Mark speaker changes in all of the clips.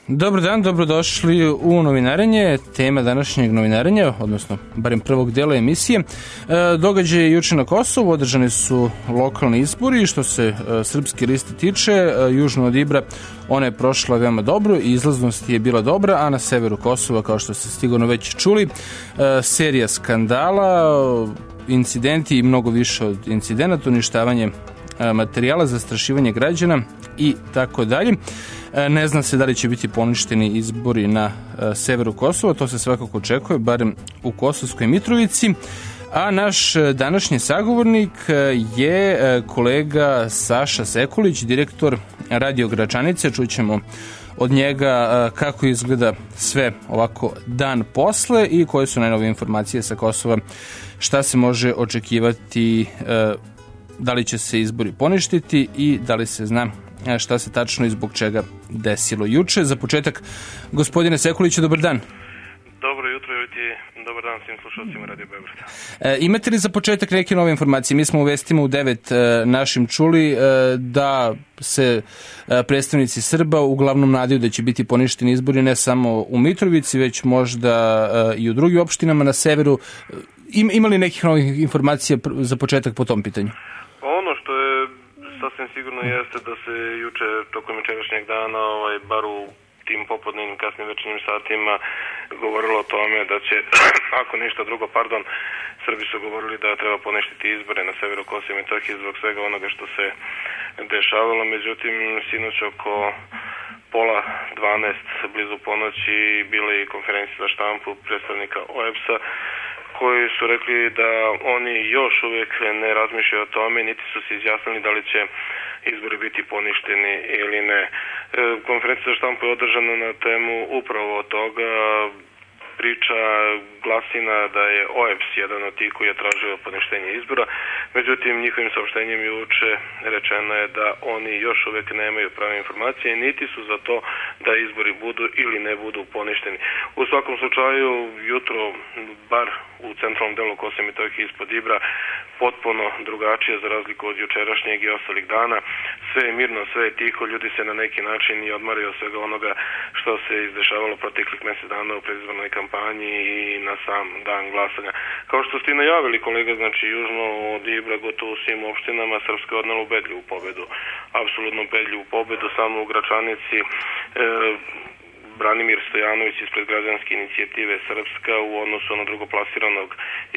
Speaker 1: Dobar dan, dobrodošli u novinarenje. Tema današnjeg novinarenja, odnosno barem prvog dela emisije, događaj juče na Kosovu. Održani su lokalni izbori. Što se srpske liste tiče, južno od Ibra ona je prošla veoma dobro i izlaznost je bila dobra, a na severu Kosova, kao što ste sigurno već čuli, serija skandala, incidenti i mnogo više od incidenata, uništavanje materijala, zastrašivanje građana i tako dalje. Ne zna se da li će biti poništeni izbori na severu Kosova, to se svakako očekuje, barem u Kosovskoj Mitrovici. A naš današnji sagovornik je kolega Saša Sekulić, direktor Radio Gračanice. Čućemo od njega kako izgleda sve ovako dan posle i koje su najnovije informacije sa Kosova, šta se može očekivati, da li će se izbori poništiti i da li se zna šta se tačno i zbog čega desilo juče. Za početak, gospodine Sekuliću, dobar dan.
Speaker 2: Dobro jutro i dobar dan svim slušalcima Radio Beograda.
Speaker 1: Imate li za početak neke nove informacije? Mi smo u vestima u 9 našim čuli da se predstavnici Srba uglavnom nadaju da će biti poništeni izbori ne samo u Mitrovici, već možda i u drugim opštinama na severu. Ima li nekih novih informacija za početak po tom pitanju?
Speaker 2: Ono što je sasvim sigurno jeste da se juče tokom jučerašnjeg dana, bar u tim popodnevnim kasnim večernjim satima, govorilo o tome da će, ako ništa drugo, Srbi su govorili da treba poništiti izbore na severu Kosova i Metohije zbog svega onoga što se dešavalo. Međutim, sinoć oko 11:30, blizu ponoći, bila je konferencija za štampu predstavnika OEBS-a, koji su rekli da oni još uvijek ne razmišljaju o tome, niti su se izjasnili da li će izbori biti poništeni ili ne. Konferencija za štampu je održana na temu upravo toga. Priča glasina da je OEBS jedan od tih koji je tražio poništenje izbora. Međutim, njihovim saopštenjem juče rečeno je da oni još uvijek nemaju prave informacije, niti su za to da izbori budu ili ne budu poništeni. U svakom slučaju, jutro, bar u centralnom delu Kosova i Metohije ispod Ibra, potpuno drugačije za razliku od jučerašnjeg i ostalih dana. Sve je mirno, sve je tiho, ljudi se na neki način i odmaraju od svega onoga što se izdešavalo proteklih mjesec dana u predizbornoj kampanji i na sam dan glasanja. Kao što ste i najavili, kolega, znači južno od Ibra, gotovo u svim opštinama, Srpska je odnela ubedljivu pobedu. Apsolutno ubedljivu pobedu, samo u Gračanici Branimir Stojanović ispred građanske inicijative Srpska u odnosu na drugoplasiranog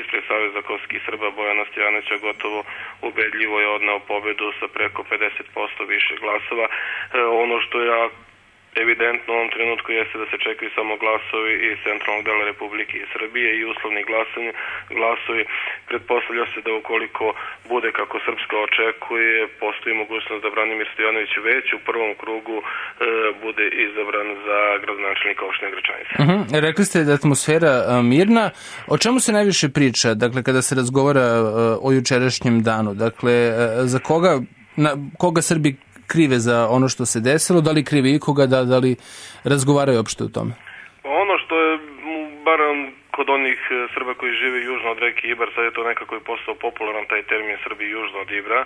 Speaker 2: ispred Saveza kosovskih Srba Bojana Stojanovića gotovo ubedljivo je odneo pobedu sa preko 50% više glasova. Ono što je evidentno u ovom trenutku jeste da se čekaju samo glasovi iz centralnog dela Republike i Srbije i uslovni glasovi. Pretpostavlja se da ukoliko bude kako Srpska očekuje, postoji mogućnost da Branimir Stojanović već u prvom krugu bude izabran za gradonačelnika opštine Gračanice.
Speaker 1: Rekli ste da je atmosfera mirna. O čemu se najviše priča, dakle, kada se razgovara o jučerašnjem danu? Dakle, za koga Srbi krive za ono što se desilo, da li krive ikoga, da li razgovaraju opšte o tome?
Speaker 2: Ono što je, bar kod onih Srba koji žive južno od reke Ibar, sad je to nekako i postao popularan taj termin Srbi južno od Ibra,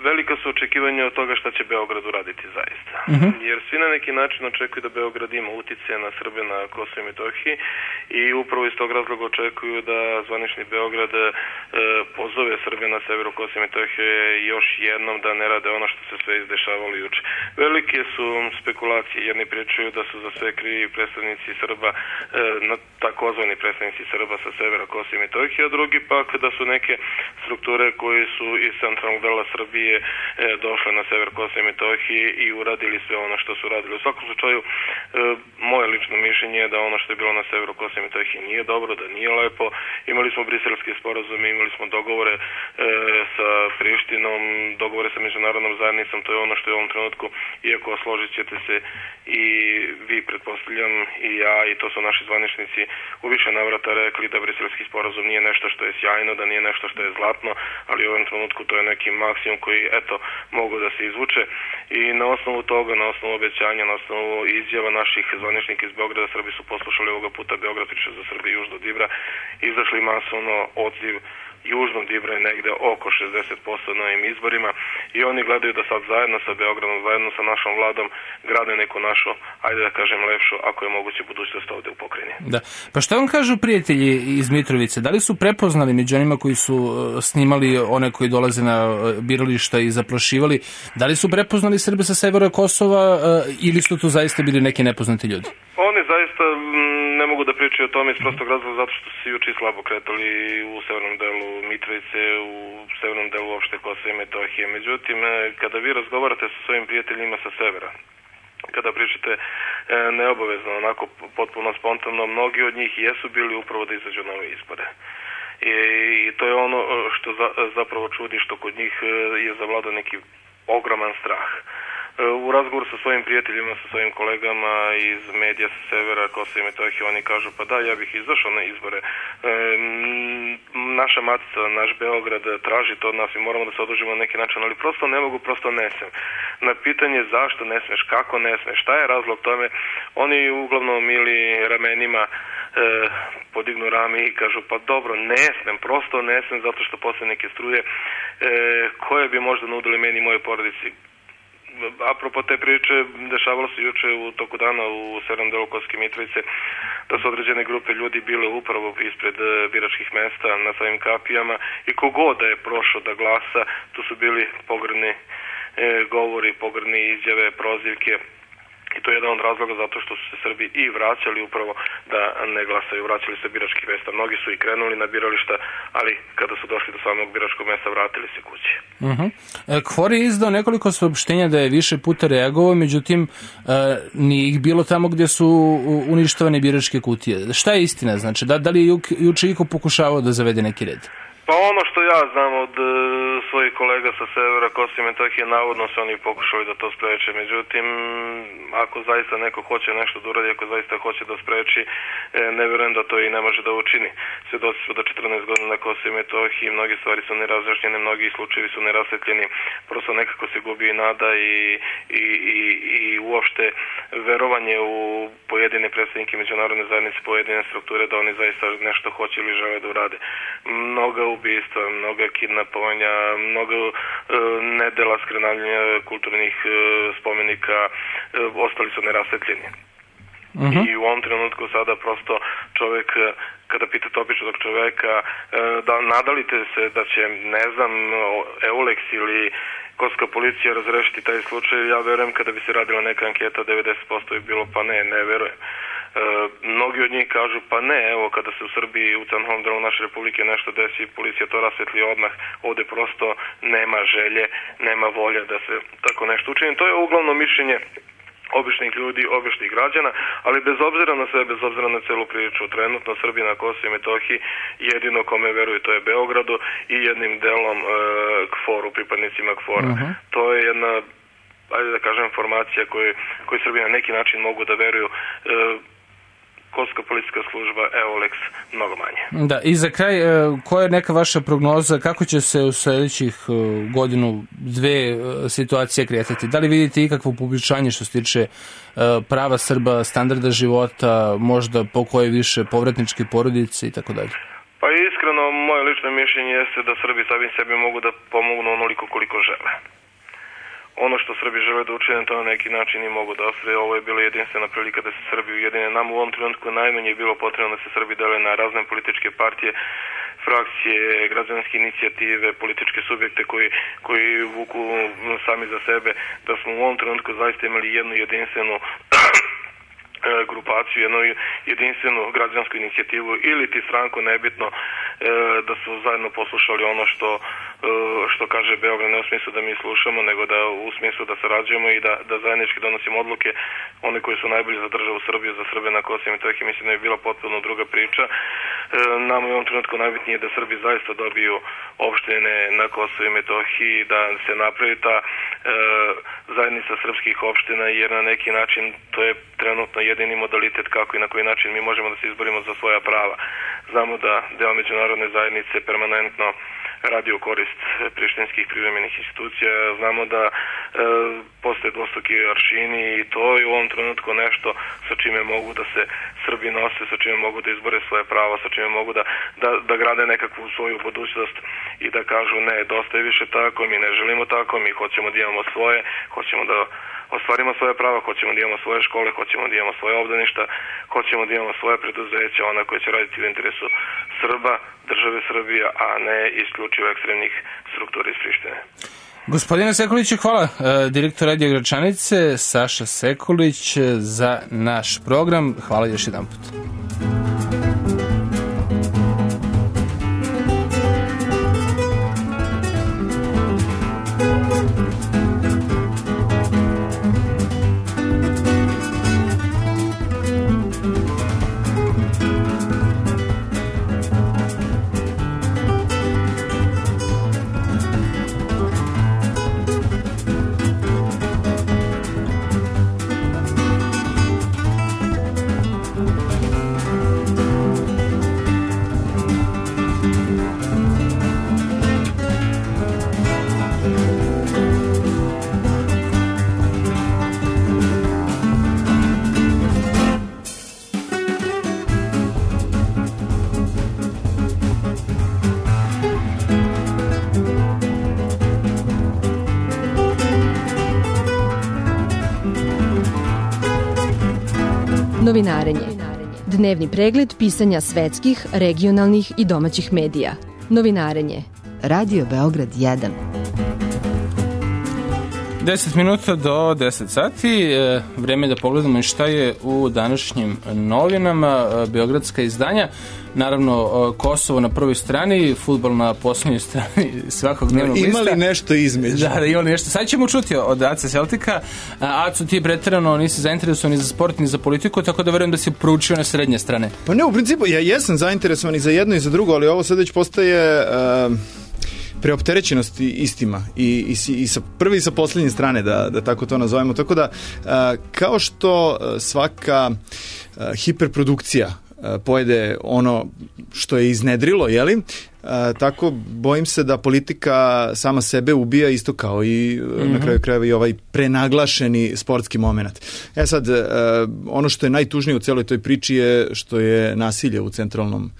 Speaker 2: velika su očekivanja od toga šta će Beograd uraditi zaista. Jer svi na neki način očekuju da Beograd ima uticaja na Srbe na Kosovu i Metohiji i upravo iz tog razloga očekuju da zvanični Beograd pozove Srbe na severu Kosova i Metohije još jednom da ne rade ono što se sve izdešavalo juče. Velike su spekulacije. Jedni pričaju da su za sve krivi predstavnici Srba, takozvani predstavnici Srba sa severa Kosova i Metohije, a drugi pak da su neke strukture koje su iz centralnog dela Srbije došle na sever Kosova i Metohije i uradili sve ono što su radili. U svakom slučaju, moje lično mišljenje je da ono što je bilo na severu Kosova i Metohije nije dobro, da nije lepo. Imali smo briselske sporazume, imali smo dogovore sa Prištinom, dogovore sa međunarodnom zajednicom, to je ono što je u ovom trenutku, iako složit ćete se i vi, pretpostavljam, i ja, i to su naši zvaničnici u više navrata rekli da briselski sporazum nije nešto što je sjajno, da nije nešto što je zlatno, ali u ovom trenutku to je neki maksimum koji koji mogu da se izvuče i na osnovu toga, na osnovu obećanja, na osnovu izjava naših zvaničnika iz Beograda, Srbi su poslušali ovoga puta Beograd priča za Srbiju južno od Ibra, izašli masovno, odziv južnog Dibra je negde oko 60% na ovim izborima i oni gledaju da sad zajedno sa Beogradom, zajedno sa našom vladom grade neku našu, ajde da kažem lepšu, ako je moguće, budućnost ovde u pokrajini.
Speaker 1: Da. Pa šta vam kažu prijatelji iz Mitrovice? Da li su prepoznali među onima koji su snimali one koji dolaze na birališta i zaplašivali, da li su prepoznali Srbe sa severa Kosova ili su tu zaista bili neki nepoznati ljudi?
Speaker 2: Oni zaista ne mogu da pričaju o tome iz prostog razloga zato što su se juče slabo kretali u severnom delu Mitrovice, u severnom delu uopšte Kosova i Metohije. Međutim, kada vi razgovarate sa svojim prijateljima sa severa, kada pričate neobavezno, onako potpuno spontano, mnogi od njih jesu bili upravo da izađu na ove izbore. I to je ono što zapravo čudi, što kod njih je zavladao neki ogroman strah. U razgovoru sa svojim prijateljima, sa svojim kolegama iz medija sa severa Kosova i Metohije, oni kažu pa da, ja bih izašao na izbore. Naša matica, naš Beograd traži to od nas i moramo da se održimo na neki način, ali prosto ne mogu, prosto ne smem. Na pitanje zašto ne smeš, kako ne smeš, šta je razlog tome, oni uglavnom ili ramenima podignu rame i kažu pa dobro, ne smem, prosto ne smem zato što posle neke struje koje bi možda nudili meni i moje porodici. Apropo te priče, dešavalo se juče u toku dana u severnom delu Kosovske Mitrovice da su određene grupe ljudi bile upravo ispred biračkih mesta na svojim kapijama i kogod da je prošao da glasa, tu su bili pogrdni govori, pogrdne izjave, prozivke. I to je jedan od razloga zato što su se Srbi i vraćali upravo da ne glasaju, vraćali se biračkih mesta. Mnogi su i krenuli na birališta, ali kada su došli do samog biračkog mesta, vratili se kući.
Speaker 1: KFOR je izdao nekoliko saopštenja da je više puta reagovao, međutim nije ih bilo tamo gdje su uništavane biračke kutije. Šta je istina? Znači, da li je juče iko pokušavao da zavede neki red?
Speaker 2: Pa ono što ja znam od svojih kolega sa severa Kosova i Metohije, navodno su oni pokušali da to spreče. Međutim, ako zaista neko hoće nešto da uradi, ako zaista hoće da spreči, ne vjerujem da to i ne može da učini. Svedoci su da 14 godina na Kosovu i Metohiji, mnogi stvari su nerazjašnjene, mnogi slučajevi su nerasvetljeni, prosto nekako se gubi i nada i uopšte verovanje u pojedine predstavnike međunarodne zajednice, pojedine strukture da oni zaista nešto hoće ili žele da urade. Mnoga ubistva, mnoga kidnapovanja, mnogo nedela skrenavljanja kulturnih spomenika ostali su nerasvetljeni. I u ovom trenutku sada prosto čovjek, kada pitate običnog čovjeka da nadalite se da će, ne znam, EULEX ili Kosovska policija razrešiti taj slučaj, ja verujem kada bi se radila neka anketa 90% bi bilo pa ne verujem. Mnogi od njih kažu pa ne, evo kada se u Srbiji u centralnom delu naše republike nešto desi, policija to rasvetli odmah, ovde prosto nema želje, nema volje da se tako nešto učini. To je uglavnom mišljenje običnih ljudi, običnih građana, ali bez obzira na sve, bez obzira na celu priču, trenutno Srbi na Kosovu i Metohiji jedino kome veruju to je Beogradu i jednim delom KFOR-u, pripadnicima KFOR-a. To je jedna, ajde da kažem, formacija koju Srbi na neki način mogu da veruju. Kosovska policijska služba, EULEX, mnogo manje.
Speaker 1: Da, i za kraj, koja je neka vaša prognoza, kako će se u sljedećih godinu, dve situacije kretati? Da li vidite ikakvo poboljšanje što se tiče prava Srba, standarda života, možda po koje više povratničke porodice i tako dalje?
Speaker 2: Pa iskreno, moje lično mišljenje jeste da Srbi sami sebi mogu da pomognu onoliko koliko žele. Ono što Srbi žele da učine, to na neki način i mogu da ostvare. Ovo je bila jedinstvena prilika da se Srbi ujedine. Nam u ovom trenutku najmanje je bilo potrebno da se Srbi dele na razne političke partije, frakcije, građanske inicijative, političke subjekte koji vuku sami za sebe, da smo u ovom trenutku zaista imali jednu jedinstvenu grupaciju, jednu jedinstvenu građansku inicijativu ili ti stranku, nebitno, da su zajedno poslušali ono što kaže Beograd, ne u smislu da mi slušamo, nego da u smislu da sarađujemo i da zajednički donosimo odluke, one koji su najbolji za državu Srbiju, za Srbe na Kosovu i Metohiji. Mislim da je bila potpuno druga priča. Nam u ovom trenutku najbitnije je da Srbi zaista dobiju opštine na Kosovu i Metohiji, da se napravi ta zajednica srpskih opština, jer na neki način to je trenutno jedini modalitet kako i na koji način mi možemo da se izborimo za svoja prava. Znamo da deo međunarodne zajednice permanentno radi u korist prištinskih privremenih institucija. Znamo da postoje dvostruki aršini i to je u ovom trenutku nešto sa čime mogu da se Srbi nose, sa čime mogu da izbore svoje pravo, sa čime mogu da grade nekakvu svoju budućnost i da kažu ne, dosta je više tako, mi ne želimo tako, mi hoćemo da imamo svoje, hoćemo da ostvarimo svoje prava, hoćemo da imamo svoje škole, hoćemo da imamo svoje obdaništa, hoćemo da imamo svoje preduzeća, ona koje će raditi u interesu Srba, države Srbije, a ne isključivo ekstremnih struktura iz Prištine.
Speaker 1: Gospodine Sekuliću, hvala. Direktor Radio Gračanice, Saša Sekulić, za naš program. Hvala još jedan put.
Speaker 3: Novinarenje. Dnevni pregled pisanja svetskih, regionalnih i domaćih medija. Novinarenje. Radio Beograd 1.
Speaker 1: 10 minuta do 10 sati. Vreme da pogledamo šta je u današnjim novinama. Beogradska izdanja. Naravno, Kosovo na prvoj strani, fudbal na poslednjoj strani svakog dnevnog lista.
Speaker 4: Ima li nešto između?
Speaker 1: Da, ima li nešto. Sad ćemo čuti od AC Celtica. Aco, ti preterano nisi zainteresovan ni za sport, ni za politiku, tako da verujem da si proučio na srednje strane.
Speaker 4: Pa ne, u principu, ja jesam zainteresovan i za jedno i za drugo, ali ovo sad već postaje preopterećenost istima i sa prve i sa poslednje strane, da tako to nazovemo. Tako da, kao što svaka hiperprodukcija pojede ono što je iznedrilo, jeli? Tako bojim se da politika sama sebe ubija isto kao i na kraju krajeva i ovaj prenaglašeni sportski moment. Sad, ono što je najtužnije u celoj toj priči je što je nasilje u centralnom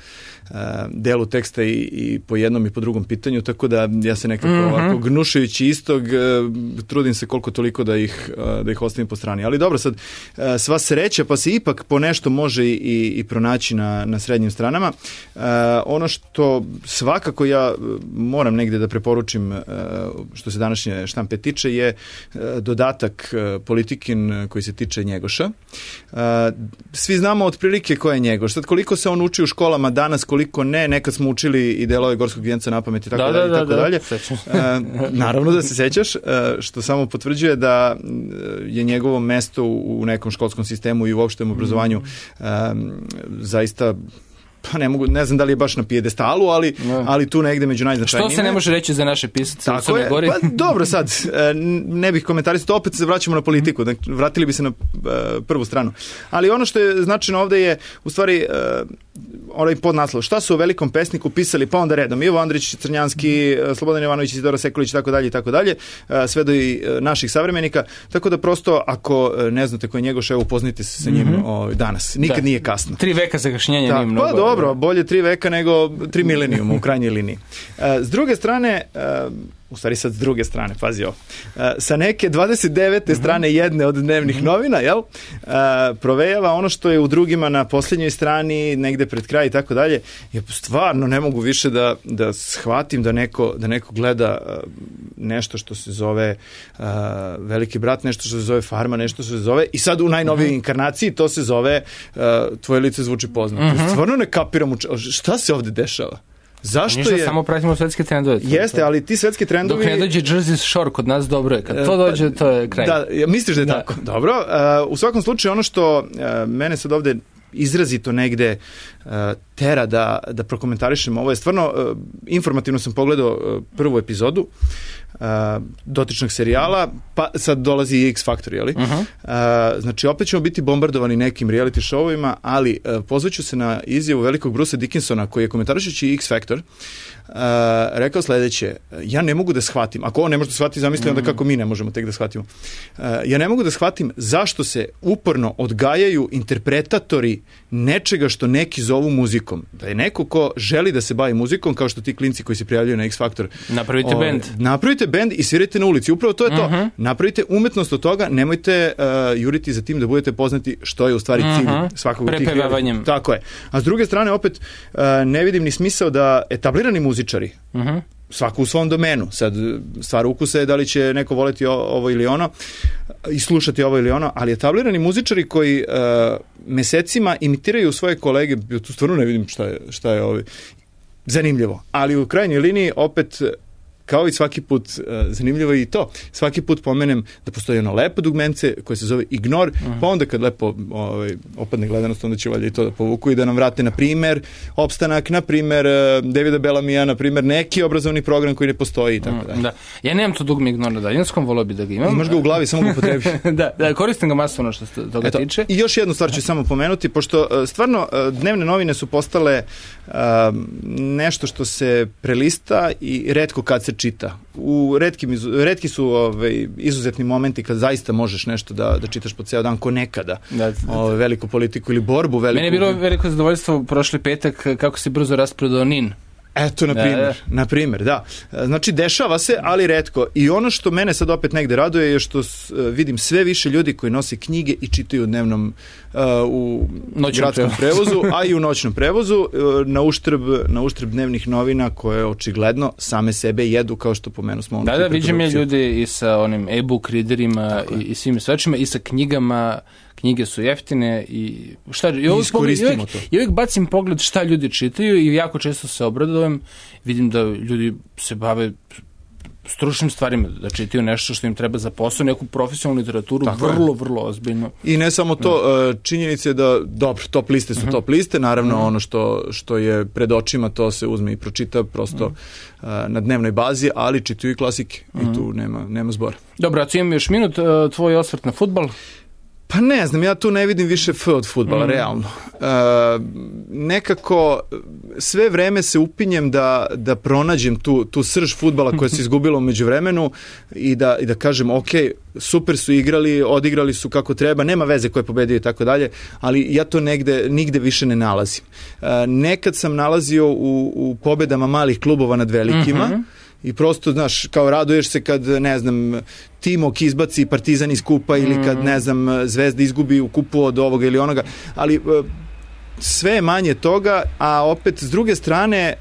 Speaker 4: delu teksta i po jednom i po drugom pitanju, tako da ja se nekako ovako gnušajući istog trudim se koliko toliko da ih ostavim po strani. Ali dobro, sad sva sreća pa se ipak po nešto može i pronaći na srednjim stranama. Ono što svakako ja moram negde da preporučim što se današnje štampe tiče je dodatak Politikin koji se tiče Njegoša. Svi znamo otprilike ko je Njegoš. Sad koliko se on uči u školama danas, koliko ne, nekad smo učili i delove Gorskog vijenca na pamet i tako dalje i tako dalje. Naravno da se sećaš, što samo potvrđuje da je njegovo mesto u nekom školskom sistemu i u opštem obrazovanju zaista pa ne znam da li je baš na pijedestalu, ali tu negde među najznačajnijima.
Speaker 1: Što se ne može reći za naše pisace u Crnoj Gori?
Speaker 4: Pa dobro, sad, ne bih komentarisao, opet se vraćamo na politiku, vratili bi se na prvu stranu. Ali ono što je značajno ovde je, u stvari, onaj podnaslov. Šta su u Velikom pesniku pisali, pa onda redom, Ivo Andrić, Crnjanski, Slobodan Jovanović, Isidora Sekulić, i tako dalje, sve do i naših savremenika. Tako da prosto, ako ne znate ko je Njegoš, evo, upoznite se sa njim danas. Nikad nije kasno.
Speaker 1: 3 veka zakašnjenja nije mnogo.
Speaker 4: Pa dobro, bolje 3 veka nego 3 milenijuma u krajnjoj liniji. S druge strane, u stvari sad s druge strane, pazi ovo, sa neke 29. strane jedne od dnevnih novina, jel, provejava ono što je u drugima na posljednjoj strani, negde pred kraj i tako dalje. Ja stvarno ne mogu više da shvatim da neko gleda nešto što se zove Veliki brat, nešto što se zove Farma, nešto što se zove, i sad u najnovijoj inkarnaciji to se zove Tvoje lice zvuči poznato. Stvarno ne kapiram šta se ovde dešava. Zašto
Speaker 1: ništa, je... samo pratimo svetske trendove.
Speaker 4: Jeste, ali ti svetski trendovi...
Speaker 1: Dok ne dođe Jersey Shore kod nas, dobro je. Kad to dođe, to je kraj.
Speaker 4: Da, misliš da je tako? Dobro. U svakom slučaju, ono što mene sad ovde izrazito negde tera da prokomentarišem. Ovo je stvarno, informativno sam pogledao prvu epizodu dotičnog serijala, pa sad dolazi i X Factor, jeli? Znači, opet ćemo biti bombardovani nekim reality showovima, ali pozvaću se na izjavu velikog Brucea Dickinsona, koji je komentarišući X Factor rekao sledeće: ja ne mogu da shvatim, ako on ne može da shvati, zamisli onda kako mi ne možemo tek da shvatimo. Ja ne mogu da shvatim zašto se uporno odgajaju interpretatori nečega što neki zovu muzikom. Da je neko ko želi da se bavi muzikom, kao što ti klinci koji se prijavljaju na X Factor.
Speaker 1: Napravite bend.
Speaker 4: Napravite bend i svirajte na ulici. Upravo to je to. Napravite umetnost od toga, nemojte juriti za tim da budete poznati, što je u stvari cilj svakog od tih.
Speaker 1: Prepevavanjem.
Speaker 4: Tako je. A s druge strane, opet, ne vidim ni smisao da etablirani muzičari, svako u svom domenu, sad stvar ukusa je da li će neko voleti ovo ili ono i slušati ovo ili ono, ali etablirani muzičari koji mesecima imitiraju svoje kolege, tu stvarno ne vidim šta je zanimljivo, ali u krajnjoj liniji opet, kao i svaki put, zanimljivo je i to. Svaki put pomenem da postoji ono lepo dugmence koje se zove ignor, pa onda kad lepo opadne gledanost, onda će valjda i to da povuku i da nam vrate, na primer, Opstanak, na primer, Davida Bellamija, na primer, neki obrazovni program koji ne postoji i tako dalje.
Speaker 1: Da. Ja nemam to dugme ignor na daljinskom, volio bi da ga imam.
Speaker 4: Imaš ga u glavi, samo ga potrebi.
Speaker 1: Da, koristim ga masovno što se toga tiče.
Speaker 4: I još jednu stvar ću samo pomenuti, pošto stvarno dnevne novine su postale nešto što se prelista i retko kad se čita. Retki su izuzetni momenti kad zaista možeš nešto da čitaš po ceo dan, ko nekada. Veliku politiku ili borbu veliku.
Speaker 1: Meni je bilo veliko zadovoljstvo prošli petak kako si brzo rasprodao NIN.
Speaker 4: Eto, na primjer, da. Znači, dešava se, ali retko. I ono što mene sad opet negde raduje je što vidim sve više ljudi koji nose knjige i čitaju dnevnom u gradskom prevozu, a i u noćnom prevozu, na uštrb dnevnih novina koje očigledno same sebe jedu, kao što pomenu smo.
Speaker 1: Da, vidim je ljudi i sa onim e-book readerima i svim svačima i sa knjigama. Knjige su jeftine i uvijek bacim pogled šta ljudi čitaju i jako često se obradujem. Vidim da ljudi se bave stručnim stvarima, da čitaju nešto što im treba za posao, neku profesionalnu literaturu, vrlo ozbiljno. I ne samo to, činjenica je da, dobro, top liste su top liste, naravno ono što je pred očima, to se uzme i pročita prosto na dnevnoj bazi, ali čitaju i klasike i tu nema zbora. Dobro, a imam još minut, tvoj osvrt na fudbal? Pa ne znam, ja tu ne vidim više od fudbala, realno. Nekako sve vreme se upinjem da pronađem tu srž fudbala koja se izgubila u međuvremenu i da kažem, ok, super su igrali, odigrali su kako treba, nema veze ko je pobedio i tako dalje, ali ja to nigde više ne nalazim. Nekad sam nalazio u pobedama malih klubova nad velikima, i prosto, znaš, kao raduješ se kad, ne znam, Timok izbaci Partizan iz kupa ili kad, ne znam, Zvezda izgubi u kupu od ovoga ili onoga, ali sve je manje toga, a opet s druge strane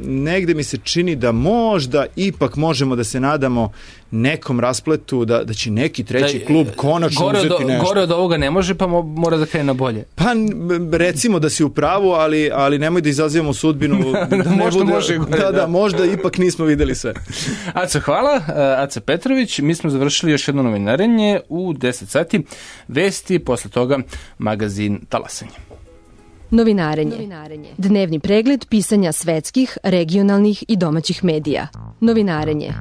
Speaker 1: negde mi se čini da možda ipak možemo da se nadamo nekom raspletu, da će neki treći klub konačno uzeti nešto. Gore od ovoga ne može, pa mora da krene na bolje.
Speaker 4: Pa recimo da si u pravu, ali nemoj da izazivamo sudbinu. Možda ipak nismo videli sve.
Speaker 1: Aco, hvala. Aca Petrović, mi smo završili još jedno novinarenje u 10 sati. Vesti, posle toga magazin Talasanje.
Speaker 3: Novinarenje. Dnevni pregled pisanja svetskih, regionalnih i domaćih medija. Novinarenje.